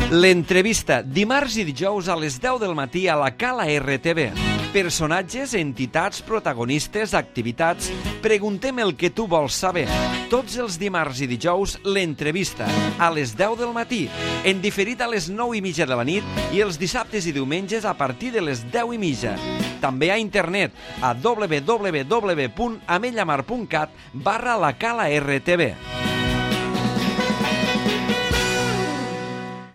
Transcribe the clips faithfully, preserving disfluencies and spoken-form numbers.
L'entrevista, dimarts i dijous a les deu del matí a la Cala R T V. Personatges, entitats, protagonistes, activitats... Preguntem el que tu vols saber. Tots els dimarts i dijous, l'entrevista, a les deu del matí, en diferit a les nou i mitja de la nit i els dissabtes i diumenges a partir de les deu i mitja. També a internet, a w w w punt amellamar punt cat barra la Cala R T V.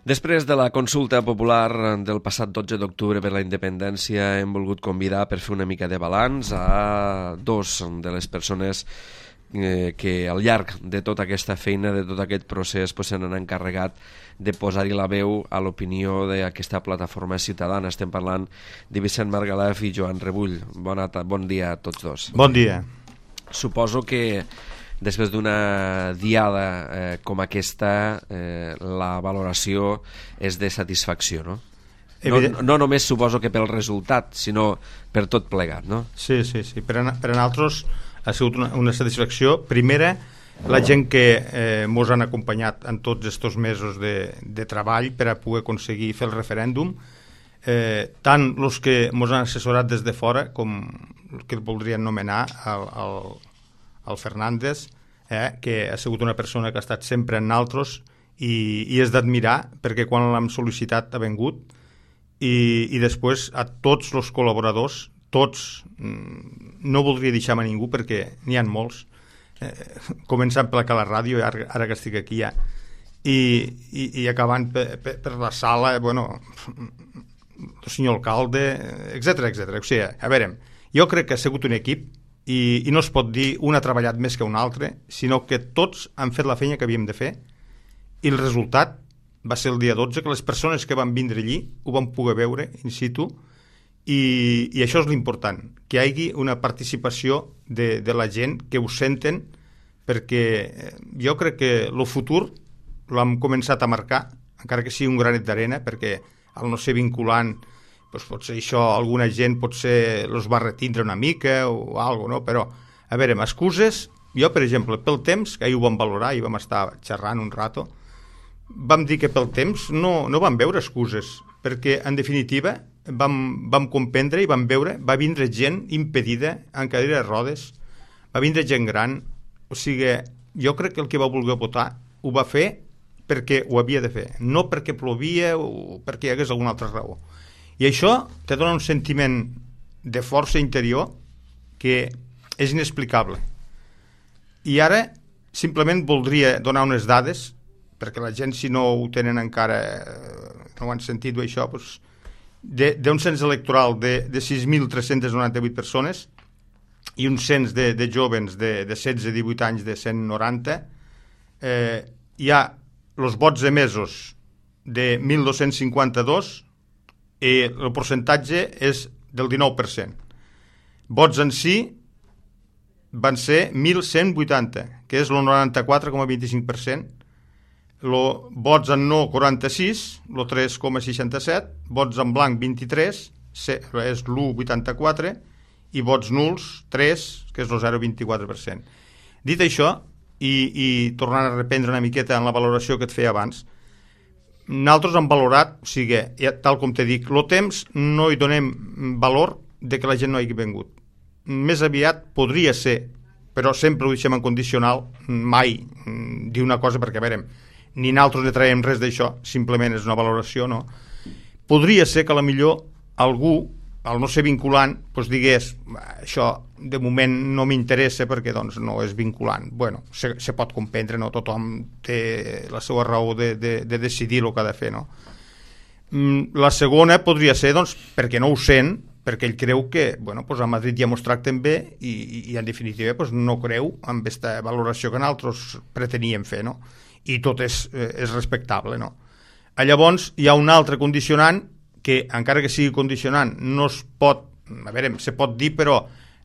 Després de la consulta popular del passat dotze d'octubre per la independència, hem volgut convidar per fer una mica de balanç a dos de les persones eh, que al llarg de tota aquesta feina, de tot aquest procés, pues, se n'han encarregat de posar-hi la veu a l'opinió d'aquesta plataforma ciutadana. Estem parlant de Vicent Margalef i Joan Rebull. Bona bon dia a tots dos. Bon dia. Suposo que després d'una diada eh, com aquesta, eh, la valoració és de satisfacció, no? No, no només suposo que pel resultat, sinó per tot plegat, no? Sí, sí, sí. Per a, per a nosaltres ha sigut una, una satisfacció. Primera, la gent que eh, mos han acompanyat en tots aquests mesos de, de treball per a poder aconseguir fer el referèndum, eh, tant els que mos han assessorat des de fora com el que el voldrien nomenar el, el el Fernández, eh, que ha sigut una persona que ha estat sempre en nosaltres i, i és d'admirar perquè quan l'hem sol·licitat ha vengut i, i després a tots els col·laboradors, tots, no voldria deixar-me ningú perquè n'hi ha molts, eh, començant per la ràdio, ara, ara que estic aquí ja, i, i, i acabant per, per, per la sala, bueno, el senyor alcalde, etcètera, etcètera. O sigui, a veure, jo crec que ha sigut un equip I, i no es pot dir un ha treballat més que un altre, sinó que tots han fet la feina que havíem de fer i el resultat va ser el dia dotze, que les persones que van vindre allí ho van poder veure in situ i, i això és l'important, que hi hagi una participació de, de la gent, que ho senten, perquè jo crec que el futur l'hem començat a marcar, encara que sigui un granet d'arena, perquè al no ser vinculant doncs potser això alguna gent potser els va retindre una mica o alguna cosa, no? Però, a veure, amb excuses, jo, per exemple, pel temps, que ahir ho vam valorar i vam estar xerrant un rato, vam dir que pel temps no, no vam veure excuses, perquè, en definitiva, vam, vam comprendre i vam veure, va vindre gent impedida en cadira de rodes, va vindre gent gran, o sigui, jo crec que el que va voler votar ho va fer perquè ho havia de fer, no perquè plovia o perquè hi hagués alguna altra raó. I això te dona un sentiment de força interior que és inexplicable. I ara simplement voldria donar unes dades, perquè la gent, si no ho tenen encara, no ho han sentit això, doncs, d'un cens electoral de, de sis mil tres-cents noranta-vuit persones i un cens de, de jovens de, de setze a divuit anys de cent noranta, eh, hi ha els vots emesos de mil dos-cents cinquanta-dos i el percentatge és del dinou per cent. Vots en sí van ser mil cent vuitanta, que és el noranta-quatre coma vint-i-cinc per cent. Lo, vots en no, quaranta-sis, el tres coma seixanta-set. Vots en blanc, vint-i-tres, és l'u coma vuitanta-quatre, i vots nuls, tres, que és el zero coma vint-i-quatre per cent. Dit això, i, i tornant a reprendre una miqueta en la valoració que et feia abans, nosaltres hem valorat, o sigui, tal com te dic, el temps no hi donem valor de que la gent no hagi vengut. Més aviat podria ser, però sempre ho deixem en condicional, mai dir una cosa, perquè a veure, ni nosaltres ne traiem res d'això, simplement és una valoració, no? Podria ser que a la millor algú, al no ser vinculant, doncs digués, això de moment no m'interessa perquè doncs, no és vinculant. Bueno, se, se pot comprendre, no? Tothom té la seva raó de, de, de decidir el que ha de fer, no? La segona podria ser, doncs, perquè no ho sent, perquè ell creu que, bueno, doncs a Madrid ja mos tracten bé i, i, i en definitiva doncs, no creu amb aquesta valoració que nosaltres preteníem fer, no? I tot és, és respectable, no? Llavors hi ha un altre condicionant que, encara que sigui condicionant, no es pot, a veure, se pot dir, però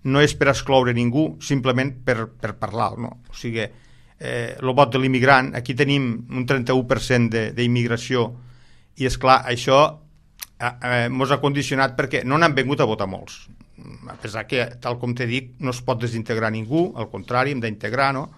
no és per excloure ningú, simplement per, per parlar, no? O sigui, eh, el vot de l'immigrant, aquí tenim un trenta-u per cent d'immigració, i és clar, això eh, mos ha condicionat perquè no n'han vingut a votar molts. A pesar que, tal com te dic, no es pot desintegrar ningú, al contrari, hem d'integrar, no?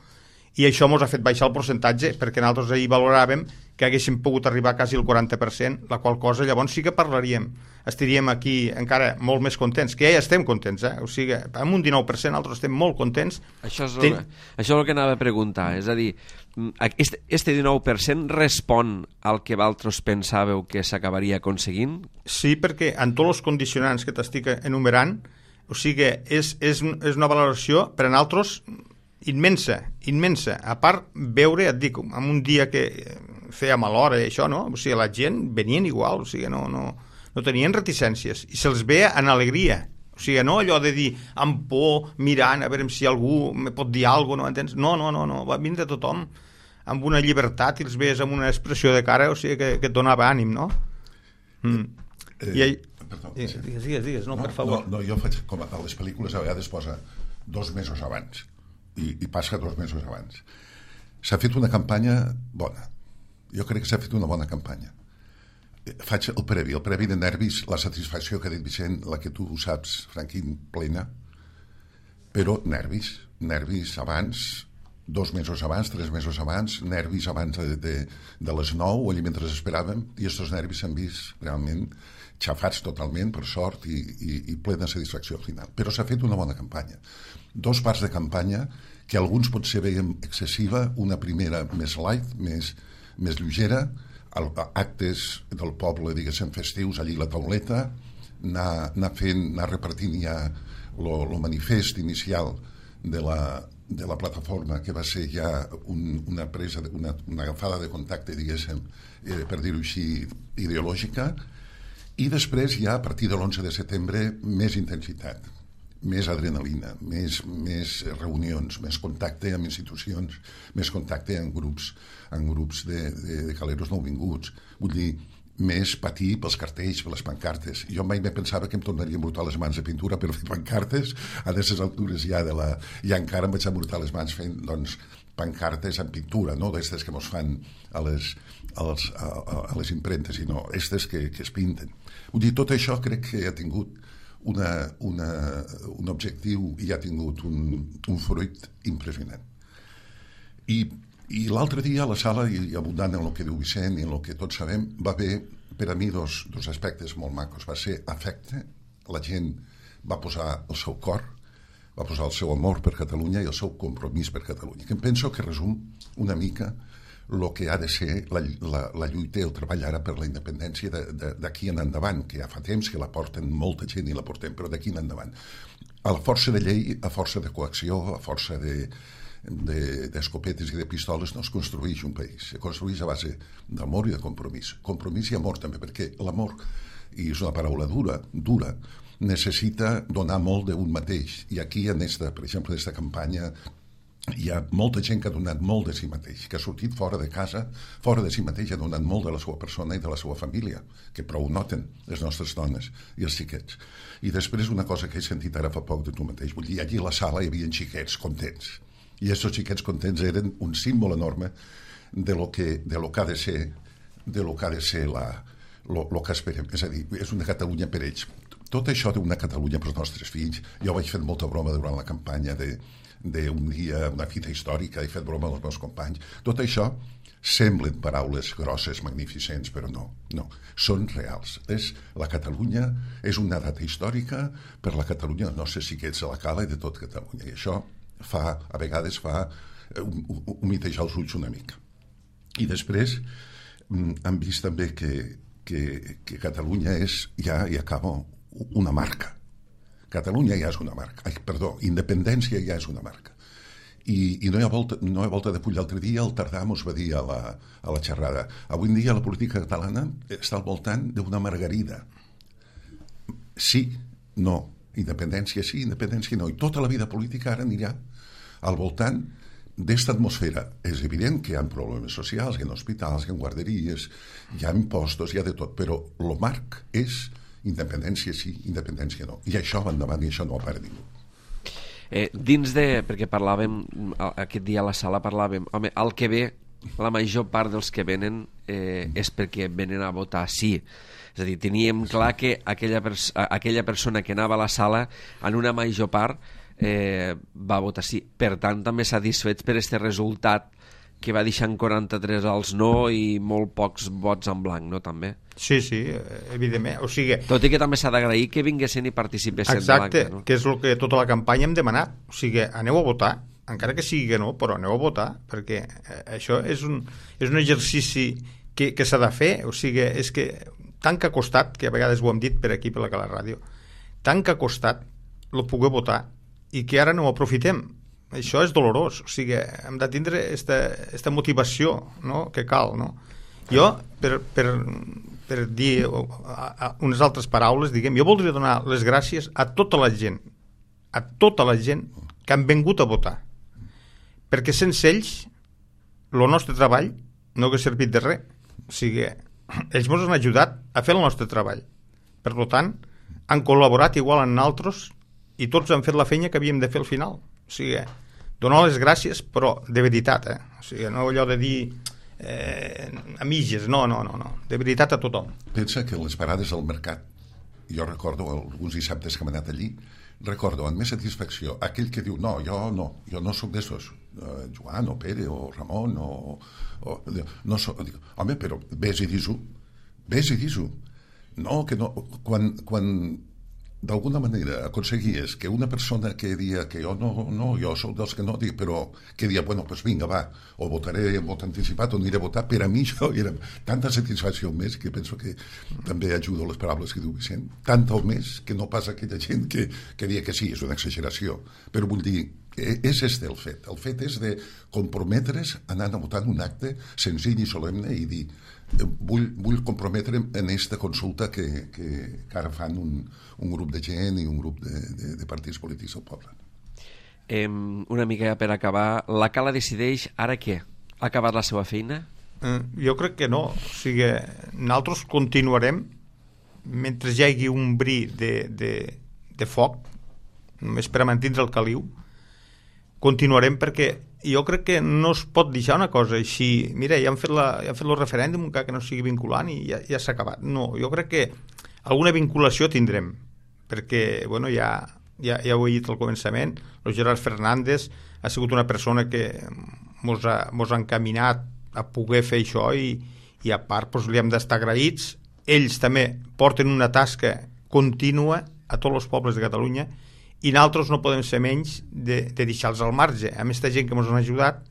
I això mos ha fet baixar el percentatge, perquè nosaltres ahir valoràvem que haguéssim pogut arribar quasi al quaranta per cent, la qual cosa llavors sí que parlaríem, estaríem aquí encara molt més contents, que ja estem contents, eh? O sigui, amb un dinou per cent nosaltres estem molt contents. Això és, el, Ten... això és el que anava a preguntar, és a dir, este, este dinou per cent respon al que vosaltres pensàveu que s'acabaria aconseguint? Sí, perquè en tots els condicionants que t'estic enumerant, o sigui, és, és, és una valoració per a nosaltres immensa, immensa. A part, veure, et dic, en un dia que feia mal hora i això, no? O sigui, la gent venien igual, o sigui, no, no, no tenien reticències i se'ls veia en alegria. O sigui, no allò de dir amb por, mirant, a veure si algú me pot dir alguna cosa, no entens? No, no, no, no, va vindre tothom amb una llibertat i els veies amb una expressió de cara, o sigui, que, que et donava ànim, no? Mm. Eh, I ell... Perdó, digues, sí. digues, digues, digues, no, no, per favor. No, no, jo faig, com a les pel·lícules a vegades posa dos mesos abans i, i passa dos mesos abans. S'ha fet una campanya bona. Jo crec que s'ha fet una bona campanya. Faig el previ, el previ de nervis, la satisfacció que ha dit Vicent, la que tu saps, Franquín, plena, però nervis, nervis abans, dos mesos abans, tres mesos abans, nervis abans de, de, de les nou, allà mentre esperàvem, i aquests nervis s'han vist realment xafats totalment, per sort, i, i, i plena satisfacció al final. Però s'ha fet una bona campanya. Dos parts de campanya que alguns potser veiem excessiva, una primera més light, més, més lleugera, actes del poble, diguéssim, festius, allí la tauleta, anar, anar fent, anar repartint ja el manifest inicial de la, de la plataforma, que va ser ja un, una presa, una, una agafada de contacte, diguéssim, eh, per dir-ho així, ideològica, i després ja a partir de l'onze de setembre més intensitat, més adrenalina, més, més reunions, més contacte amb institucions, més contacte amb grups, amb grups de, de, de caleros nouvinguts. Vull dir, més patir pels cartells, per les pancartes. Jo mai me pensava que em tornaria a embrutar les mans de pintura per fer pancartes, a aquestes altures ja de la... I encara em vaig embrutar les mans fent, doncs, pancartes en pintura, no d'aquestes que mos fan a les, a les, a, a les impremtes, sinó aquestes que, que es pinten. Vull dir, tot això crec que ha tingut una, una, un objectiu i ha tingut un, un fruit impressionant. I, i l'altre dia a la sala, i abundant en el que diu Vicent i en el que tots sabem, va haver per a mi dos, dos aspectes molt macos. Va ser afecte, la gent va posar el seu cor, va posar el seu amor per Catalunya i el seu compromís per Catalunya, que em penso que resum una mica el que ha de ser la, la, la lluita i el treball ara per la independència d'aquí en endavant, que ja fa temps que la porten molta gent i la portem, però d'aquí en endavant. A la força de llei, a força de coacció, a força de, d'escopetes de, i de pistoles no es construeix un país, es construeix a base d'amor i de compromís. Compromís i amor també, perquè l'amor, i és una paraula dura, dura, necessita donar molt d'un mateix. I aquí, en esta, per exemple, en aquesta campanya, hi ha molta gent que ha donat molt de si mateix, que ha sortit fora de casa, fora de si mateix, ha donat molt de la seva persona i de la seva família, que prou noten les nostres dones i els xiquets. I després una cosa que he sentit ara fa poc de tu mateix, vull dir, allí a la sala hi havia xiquets contents, i aquests xiquets contents eren un símbol enorme de lo que, de lo que ha de ser, de lo que ha de ser la, lo, lo que esperem, és a dir, és una Catalunya per ells. Tot això d'una Catalunya per als nostres fills, jo vaig fer molta broma durant la campanya de d'un dia, una fita històrica, he fet broma amb els meus companys. Tot això semblen paraules grosses, magnificents, però no, no, són reals. És, la Catalunya és una data històrica per la Catalunya dels nostres xiquets a la cala i de tot Catalunya. I això fa, a vegades fa humitejar els ulls una mica. I després hem vist també que, que, que Catalunya és, ja, i acabo, una marca. Catalunya ja és una marca. Ai, perdó, independència ja és una marca. I, i no, hi ha volta, no hi ha volta de pull. L'altre dia el Tardà mos va dir a la, a la xerrada, avui en dia la política catalana està al voltant d'una margarida. Sí, no. Independència sí, independència no. I tota la vida política ara anirà al voltant d'esta atmosfera. És evident que hi ha problemes socials, hi ha hospitals, hi ha guarderies, hi ha impostos, hi ha de tot, però el marc és independència sí, independència no. I això va endavant i això no ho para ningú. Eh, dins de... perquè parlàvem, aquest dia a la sala parlàvem, home, el que ve, la major part dels que venen eh, és perquè venen a votar sí. És a dir, teníem clar que aquella, pers aquella persona que anava a la sala, en una major part, eh, va votar sí. Per tant, també satisfets per aquest resultat que va deixant quaranta-tres als no i molt pocs vots en blanc, no, també? Sí, sí, evidentment. O sigui... Tot i que també s'ha d'agrair que vinguessin i participessin. Exacte, blanca, no? Que és el que tota la campanya hem demanat. O sigui, aneu a votar, encara que sigui que no, però aneu a votar, perquè això és un, és un exercici que, que s'ha de fer. O sigui, és que tant que ha costat, que a vegades ho hem dit per aquí, per la Cala Ràdio, tant que ha costat el poder votar i que ara no ho aprofitem. Això és dolorós. O sigui, hem de tindre aquesta motivació, no?, que cal, no? Jo, per, per, per dir unes altres paraules, diguem, jo voldria donar les gràcies a tota la gent, a tota la gent que han vingut a votar, perquè sense ells el nostre treball no hauria servit de res. O sigui, ells ens han ajudat a fer el nostre treball. Per tant, han col·laborat igual amb nosaltres i tots han fet la feina que havíem de fer al final. O sigui, donar les gràcies, però de veritat, eh? O sigui, no allò de dir eh, a mitges, no, no, no, no, de veritat a tothom. Pensa que les parades al mercat, jo recordo alguns dissabtes que hem anat allí, recordo amb més satisfacció aquell que diu, no, jo no, jo no soc d'estos, uh, Joan o Pere o Ramon o... o no soc, dic, home, però vés i dis-ho, vés i dis-ho. No, que no, quan... quan d'alguna manera aconseguies que una persona que dia que jo no, no, jo sóc dels que no dic, però que dia, bueno, pues vinga, va, o votaré en vot anticipat o aniré a votar, per a mi això era tanta satisfacció més, que penso que també ajudo les paraules que diu Vicent, tanta o més que no pas aquella gent que, que dia que sí, és una exageració, però vull dir, és este el fet, el fet és de comprometre's anant a votar en un acte senzill i solemne i dir, vull, vull comprometre'm en aquesta consulta que, que, que ara fan un, un grup de gent i un grup de, de, de partits polítics al poble. Eh, una mica per acabar, la Cala decideix ara què? Ha acabat la seva feina? Eh, jo crec que no. O sigui, nosaltres continuarem mentre hi hagi un bri de, de, de foc, només per a mantindre el caliu, continuarem perquè jo crec que no es pot deixar una cosa així, mira, ja han fet, la, ja han fet el referèndum encara que no sigui vinculant i ja, ja s'ha acabat. No, jo crec que alguna vinculació tindrem, perquè, bueno, ja, ja, ja ho he dit al començament, el Gerard Fernández ha sigut una persona que mos ha, mos ha encaminat a poder fer això i, i a part doncs, li hem d'estar agraïts. Ells també porten una tasca contínua a tots els pobles de Catalunya i nosaltres no podem ser menys de, de deixar-los al marge. A més, aquesta gent que ens han ajudat,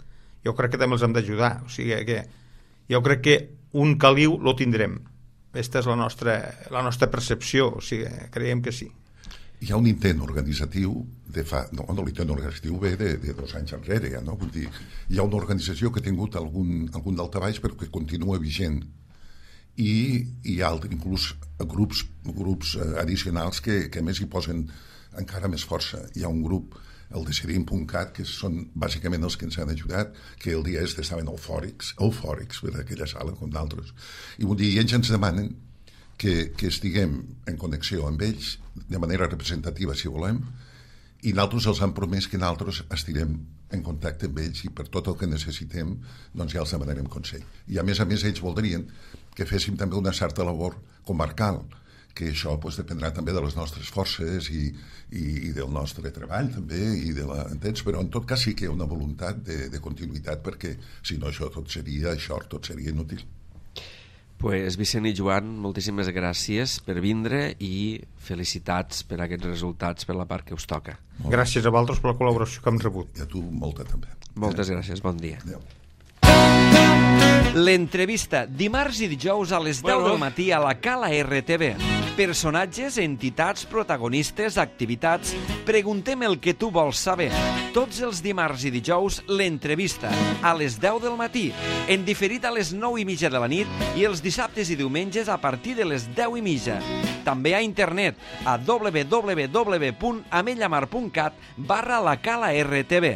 jo crec que també els hem d'ajudar. O sigui que jo crec que un caliu lo tindrem. Aquesta és la nostra, la nostra percepció, o sigui, creiem que sí. Hi ha un intent organitzatiu de fa... No, no l'intent organitzatiu ve de, de dos anys enrere, ja, no? Vull dir, hi ha una organització que ha tingut algun, algun daltabaix però que continua vigent. I hi ha inclús grups, grups addicionals que, que a més hi posen encara més força. Hi ha un grup, el Decidim punt cat, que són bàsicament els que ens han ajudat, que el dia este estaven eufòrics, eufòrics per aquella sala com d'altres. I vull dir, ells ens demanen que, que estiguem en connexió amb ells de manera representativa, si volem, i nosaltres els han promès que nosaltres estirem en contacte amb ells i per tot el que necessitem doncs ja els demanarem consell. I a més a més ells voldrien que féssim també una certa labor comarcal, que això pues, dependrà també de les nostres forces i, i, i del nostre treball també, i de la, entens? Però en tot cas sí que hi ha una voluntat de, de continuïtat perquè si no això tot seria això, tot seria inútil. Pues Vicent i Joan, moltíssimes gràcies per vindre i felicitats per aquests resultats per la part que us toca. Molt gràcies a vosaltres per la col·laboració que hem rebut. I a tu molta també. Moltes eh? gràcies, bon dia. Adéu. L'entrevista, dimarts i dijous a les deu del matí a la Cala R T V. Personatges, entitats, protagonistes, activitats... Preguntem el que tu vols saber. Tots els dimarts i dijous, l'entrevista, a les deu del matí, en diferit a les nou i mitja de la nit i els dissabtes i diumenges a partir de les deu i mitja. També a internet, a w w w punt amellamar punt cat barra la Cala R T V.